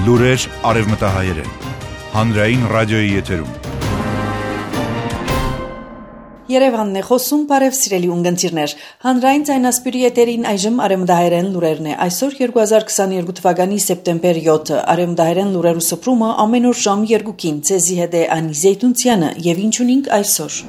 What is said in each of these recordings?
Լուրեր արևմտահայերեն, հանրային ռադիոյի եթերում։ Երևանն է խոսում, բարև սիրելի ունգընտիրներ։ Հանրային ձայնասպյուրի եթերին այժմ արևմտահայերեն լուրերն է։ Այսօր 2022 թվականի սեպտեմբեր 7-ը արևմտահայերեն լուրերու սփռումը ամեն օր ժամ 2-ին ցեզի հետ է Անի Զեյթունցյանը եւ ինչ ունենք այսօր։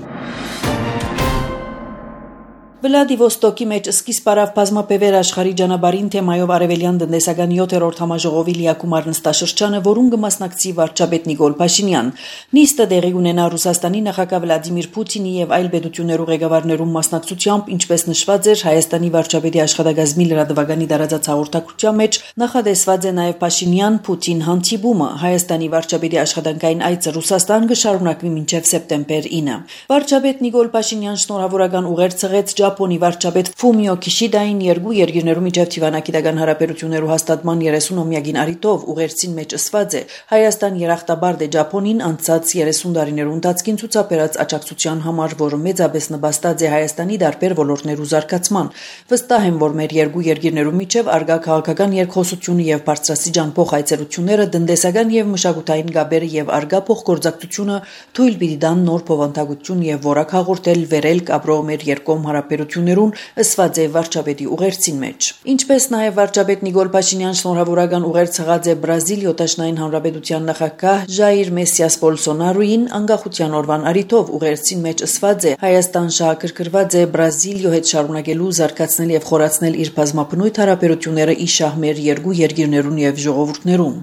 Վլադիվոստոկի մեջ սկիզբ առավ բազմապևեր աշխարհի ճանապարհին թեմայով արևելյան տնտեսական 7-րդ համաժողովի լիակումար նստաշրջանը, որում կմասնակցի վարչապետ Նիկոլ Փաշինյան։ Նիստը տեղի ունենա Ռուսաստանի նախագահ Վլադիմիր Պուտինի եւ այլ պետություններու ղեկավարներու մասնակցությամբ, ինչպես նշված էր Հայաստանի վարչապետի աշխատակազմի լրատվականի տարածած հաղորդակցության մեջ, նախադեсված է նաեւ Փաշինյան-Պուտին հանդիպումը։ Հայաստանի վարչապետի աշխատանքային այցը Ռուսաստան կշարունակվի մինչեւ սեպտեմբեր 9։ Վարչապետ Նիկոլ Փաշինյան շնորհավորական ուղերձ ցղեց Ճապոնի վարչապետ Ֆումիո Քիշիդային երկու երկիրներու միջև թիվանակիտական հարաբերություններու հաստատման 30-ամյակին առիթով ուղերձին մեջ ասված է Հայաստան երախտաբարդ է Ճապոնին անցած 30 տարիներու ընթացքին ցուցաբերած աջակցության համար, որը մեծապես նպաստած է Հայաստանի տարբեր ոլորտներու զարգացման։ Վստահ եմ, որ մեր երկու երկիրներու միջև արգա քաղաքական երկխոսությունը եւ բարձրաստիճան փոխայցելությունները տնտեսական եւ մշակութային գաբերը եւ արգա փոխգործակցությունը թույլ պիտի տան նոր փոխանցագություն եւ որակ հաղորդել վերելք ապրող մեր երկկողմ հարաբերություններուն, ասված է վարչապետի ուղերձին մեջ։ Ինչպես նաև վարչապետ Նիկոլ Փաշինյան շնորհավորական ուղերձ ցղած է Բրազիլիա Տաշնային Հանրապետության նախագահ Ժայիր Մեսիաս Բոլսոնարոին անկախության օրվան առիթով ուղերձին մեջ ասված է Հայաստան շահագրգռված է Բրազիլիա հետ շարունակելու զարգացնել եւ խորացնել իր բազմապնույթ հարաբերությունները իշահ մեր երկու երկիրներուն եւ ժողովուրդներուն։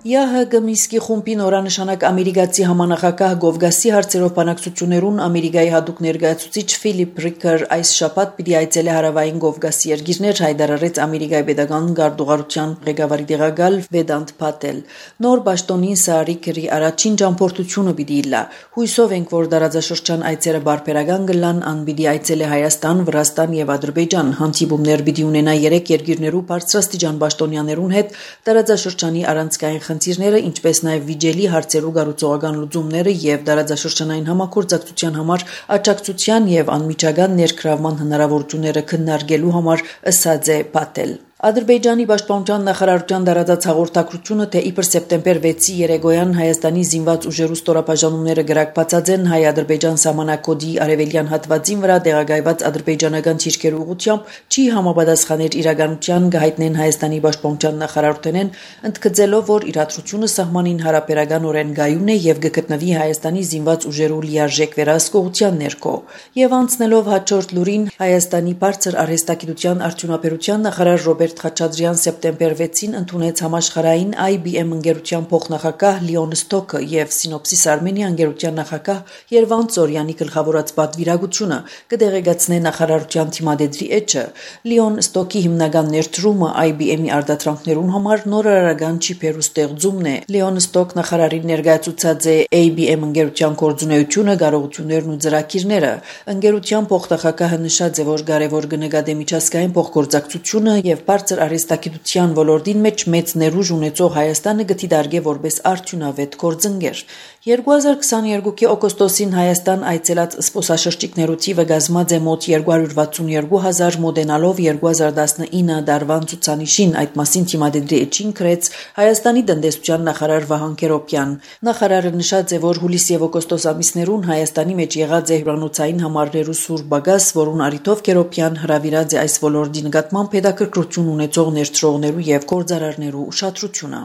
ԵՀԳ Միսկի խումբի նորանշանակ ամերիկացի համանախագահ Գովգասի հարցերով բանակցություններուն Ամերիկայի հատուկ ներկայացուցիչ Ֆիլիպ Ռիկեր այս շաբաթ պիտի այցելի հարավային Գովգասի երկիրներ, հայտարարեց Ամերիկայի պետական գարդուղարության ղեկավարի տեղակալ Վեդանտ Փատել։ Նոր պաշտոնին սա Ռիկերի առաջին ճամփորդությունը պիտի լա։ Հույսով ենք, որ տարածաշրջան այցերը բարբերական կլան, ան պիտի այցելի Հայաստան, Վրաստան եւ Ադրբեջան։ Հանդիպումներ պիտի ունենա 3 երկիրներու բարձրաստիճան պաշտոնյաներուն հետ տարածաշրջանի առանցքային խնդիրները, ինչպես նաև վիճելի հարցերու գառուցողական լուծումները եւ տարածաշրջանային համագործակցության համար աջակցության եւ անմիջական ներգրավման հնարավորությունները քննարկելու համար ասած է Փատել։ Ադրբեջանի պաշտպանության նախարարության տարածած հաղորդակցությունը, թե իբր սեպտեմբեր 6-ի երեկոյան Հայաստանի զինված ուժերու ստորաբաժանումները գրակբացած են հայ-ադրբեջան սահմանակոդի արևելյան հատվածին վրա տեղակայված ադրբեջանական թիրքերու ուղղությամբ, չի համապատասխաներ իրականության, կհայտնեն Հայաստանի պաշտպանության նախարարութենեն, ընդգծելով, որ իրադրությունը սահմանին հարաբերականորեն գայուն է եւ կգտնվի Հայաստանի զինված ուժերու լիարժեք վերահսկողության ներքո։ Եվ անցնելով հաջորդ լուրին, Հայաստանի բարձր արհեստագիտության արդյունաբերության նախարար Ռոբերտ Խաչատրյան սեպտեմբեր 6-ին ընդունեց համաշխարհային IBM ընկերության փոխնախագահ Լիոն Ստոկը եւ Սինոպսիս Արմենիա ընկերության նախագահ Երվանդ Ծորյանի գլխավորած պատվիրակությունը կդեղեկացնե նախարարության թիմադեդրի էջը։ Լիոն Ստոկի հիմնական ներդրումը IBM-ի արտադրանքներուն համար նոր արարական չիպերու ստեղծումն է։ Լիոն Ստոկ նախարարին ներկայացուցած է IBM ընկերության գործունեությունը, կարողություններն ու ծրագիրները։ Ընկերության փոխնախագահը նշած է, որ կարևոր կնկատի միջազգային փոխգործակցությունը եւ բարձր արհեստագիտության ոլորտին մեջ մեծ ներուժ ունեցող Հայաստանը գտիդարգե որպես արդյունավետ գործընկեր։ 2022-ի օգոստոսին Հայաստան այցելած սպոսաշրջիկներու թիվը կազմած է մոտ 262,000, մոտենալով 2019 դարվան ցուցանիշին, այդ մասին թիմադեդրի էջին գրեց Հայաստանի տնտեսության նախարար Վահան Քերոբյան։ Նախարարը նշած է, որ հուլիս եւ օգոստոս ամիսներուն Հայաստանի մեջ եղած է հյուրանոցային համարներու սուր բագաս, որուն առիթով Քերոբյան հրավիրած է այս ոլորտի նկատմամբ հետաքրքրություն ունեցող ներդրողներու եւ գործարարներու ուշադրությունը։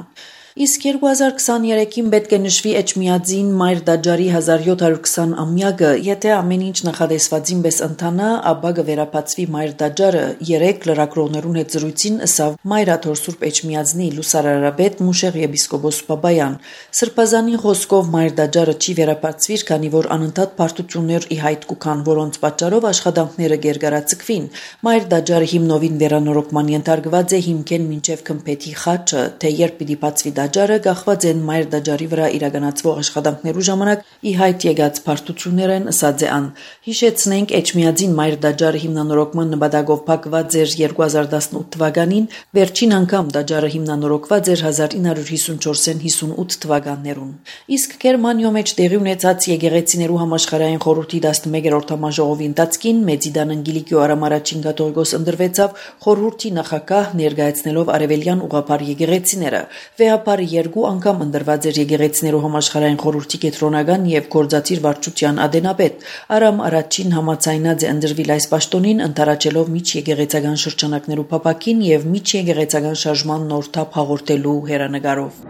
Իսկ 2023-ին պետք է նշվի Էջմիածին Մայր Դաջարի 1720 ամյակը, եթե ամեն ինչ նախադեсվածին պես ընթանա, ապա կվերապացվի Մայր Դաջարը 3 լրագրողներուն հետ զրույցին ըսավ Մայրաթոր Սուրբ Էջմիածնի լուսարարաբեդ Մուշեղ եպիսկոպոս Բաբայան։ Սրբազանի խոսքով Մայր Դաջարը չի վերապացվիր, քանի որ անընդհատ բարդություններ ի հայտ կուքան, որոնց պատճառով աշխատանքները գերգարացկվին։ Մայր Դաջարը հիմնովին վերանորոգման ենթարկված է հիմքեն մինչև Քմփեթի խաչը, թե երբ պիտի բացվի տաճարը կախված են մայր տաճարի վրա իրականացվող աշխատանքներու ժամանակ ի հայտ եկած բարդություններ են, ըսած է ան։ Հիշեցնենք, Էջմիածին մայր տաճարը հիմնանորոգման նպատակով փակված էր 2018 թվականին, վերջին անգամ տաճարը հիմնանորոգված էր 1954-58 թվականներուն։ Իսկ Գերմանիո մեջ տեղի ունեցած եկեղեցիներու համաշխարհային խորհրդի 11-րդ համաժողովի ընթացքին Մեծիդան Անգելիկիո Արամարաչին կաթողիկոս ընտրվեցավ խորհրդի նախագահ ներկայացնելով արևելյան ուղղափառ եկեղեցիները։ Վեհապարը 2 անգամ ընտրված էր եկեղեցիներու համաշխարհային խորհրդի կենտրոնական եւ գործադիր վարչության ադենապետ։ Արամ առաջին համաձայնած է ընտրվել այս պաշտոնին, ընթարաճելով միջեկեղեցական շրջանակներու փապակին եւ միջեկեղեցական շարժման նոր թափ հաղորդելու հերանեկարով։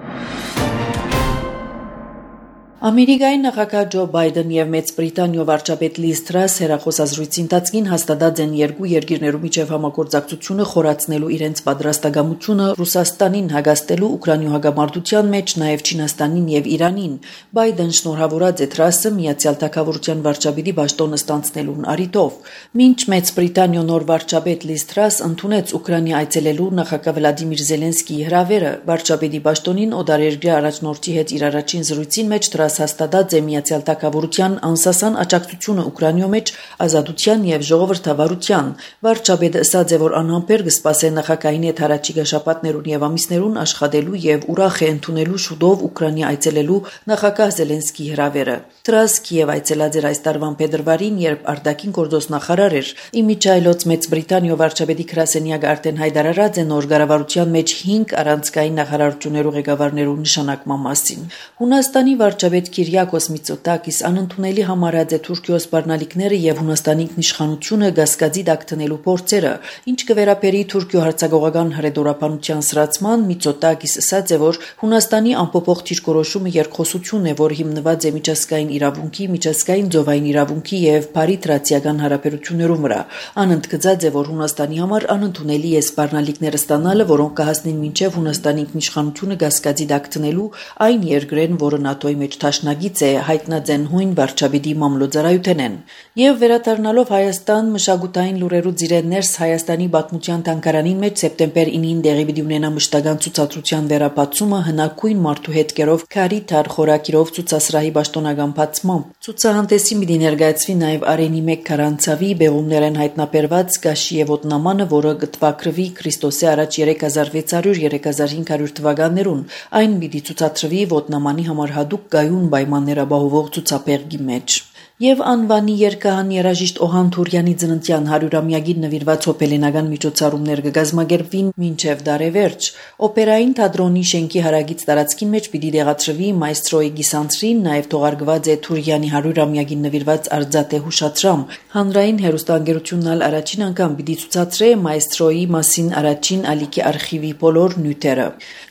Ամերիկայի նախագահ Ջո Բայդեն եւ Մեծ Բրիտանիո վարչապետ Լիզ Թրաս հերախոսազրույցի ընթացքին հաստատած են երկու երկիրներու միջև համագործակցությունը խորացնելու իրենց պատրաստակամությունը Ռուսաստանին հագաստելու Ուկրաինի հագամարտության մեջ, նաեւ Չինաստանին եւ Իրանին։ Բայդեն շնորհավորած է Թրասը Միացյալ Թագավորության վարչապետի պաշտոնը ստանձնելուն առիթով։ Մինչ Մեծ Բրիտանիո նոր վարչապետ Լիզ Թրաս ընդունեց Ուկրաինի այցելելու նախագահ Վլադիմիր Զելենսկիի հրավերը, վարչապետի պաշտոնին օտարերկրյա առաջնորդի հետ իր առաջին զրույցին մեջ հաստատած է Միացյալ Թագավորության անսասան աջակցությունը Ուկրաինի մեջ ազատության եւ ժողովրդավարության։ Վարչապետը ասաց է, որ անհամբեր կսպասե նախագահին հետ հառաջիկա շաբաթներուն եւ ամիսներուն աշխատելու եւ ուրախ է ընդունելու շուտով Ուկրաինի այցելելու նախագահ Զելենսկիի հրավերը։ Թրաս Կիև այցելած էր այս տարվան փետրվարին, երբ արտաքին գործոստ նախարար էր։ Իմիջայլոց Մեծ Բրիտանիո վարչապետի գրասենյակը արդեն հայտարարած է նոր կառավարության մեջ 5 առանցքային նախարարություններու ղեկավարներու նշանակման մասին։ Հունաստանի վարչապետ Կիրիակոս Միծոտակիս անընդունելի համարած է Թուրքիո սպառնալիքները եւ Հունաստանի ինքնիշխանությունը գասկածի տակ դնելու փորձերը։ Ինչ կվերապերի Թուրքիո հարձակողական հրետորաբանության սրացման, Միծոտակիս ասաց է, որ Հունաստանի անփոփոխ դիրքորոշումը երկխոսություն է, որ հիմնված է միջազգային իրավունքի, միջազգային ծովային իրավունքի եւ բարիտրացիական հարաբերություններում վրա։ Անընդգծած է, որ Հունաստանի համար անընդունելի է սպառնալիքները ստանալը, որոնք կհասնեն մինչեւ Հունաստանի ինքնիշխանությունը գասկածի տակ դնելու այն երկրեն, որը ՆԱՏՕ-ի մեջ Թաշնագից է, հայտնած են հույն վարչապետի մամլոյցարայութենեն։ Եվ վերադառնալով Հայաստան, մշակութային լուրերու ծիրեններս Հայաստանի պատմության թանգարանին մեջ սեպտեմբեր 9-ին տեղի պիտի ունենա մշտական ցուցադրության վերապացումը հնագույն մարդու հետքերով քարի թար խորակիրով ցուցասրահի պաշտոնական բացմամբ։ Ցուցահանդեսին պիտի ներկայացվի նաև Արենի 1 քարանցավի բեղումներեն հայտնաբերված Գաշիեվոտ նամանը, որը կտվակրվի Քրիստոսի առաջ 3600-3500 թվականներուն։ Այն պիտի ցուցադրվի ոտնամանի համար հատուկ գայուն պայմաններաբահովող ցուցափեղկի մեջ։ Եվ անվանի երկհան երաժիշտ Օհան Թուրյանի ծննդյան 100-ամյակին նվիրված հոբելենական միջոցառումներ կգազմագերբվին մինչև դարեվերջ։ Օպերային թատրոնի շենքի հարագից տարածքին մեջ պիտի դեղացրվի մայստրոյի գիսանցրին, նաև թողարկված է Թուրյանի 100-ամյակին նվիրված արձատե հուշադրամ։ Հանրային հեռուստաընկերությունն ալ առաջին անգամ պիտի ցուցադրե մայստրոյի մասին առաջին ալիքի արխիվի բոլոր նյութերը։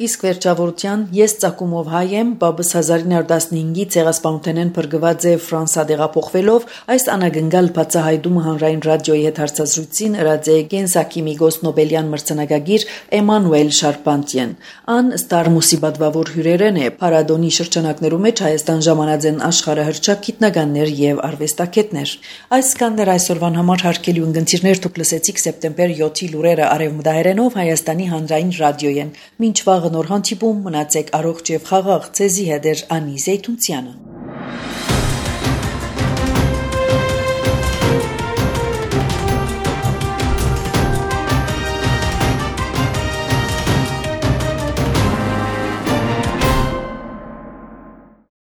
Իսկ վերջավորության ես ծագումով հայ եմ, բաբս 1915-ի ցեղասպանութենեն փրկված է Ֆրանսա փոխվելով այս անագնգալ բացահայտումը հանրային ռադիոյի հետ հարցազրույցին ըրած է Գենսակի Միգոս Նոբելյան մրցանակագիր Էմանուել Շարպանտիեն։ Ան ստարմուսի բադվավոր հյուրերեն է Փարադոնի շրջանակներու մեջ Հայաստան ժամանած են աշխարհահռչակ գիտնականներ եւ արվեստագետներ։ Այսքանն էր այսօրվան համար հարգելի ունգընտիրներ, դուք լսեցիք սեպտեմբեր 7-ի լուրերը արևմտահայերենով Հայաստանի հանրային ռադիոյեն։ Մինչ վաղը նոր հանդիպում, մնացեք առողջ եւ խաղաղ, ցեզի հետ Անի Զեյթունցյանը։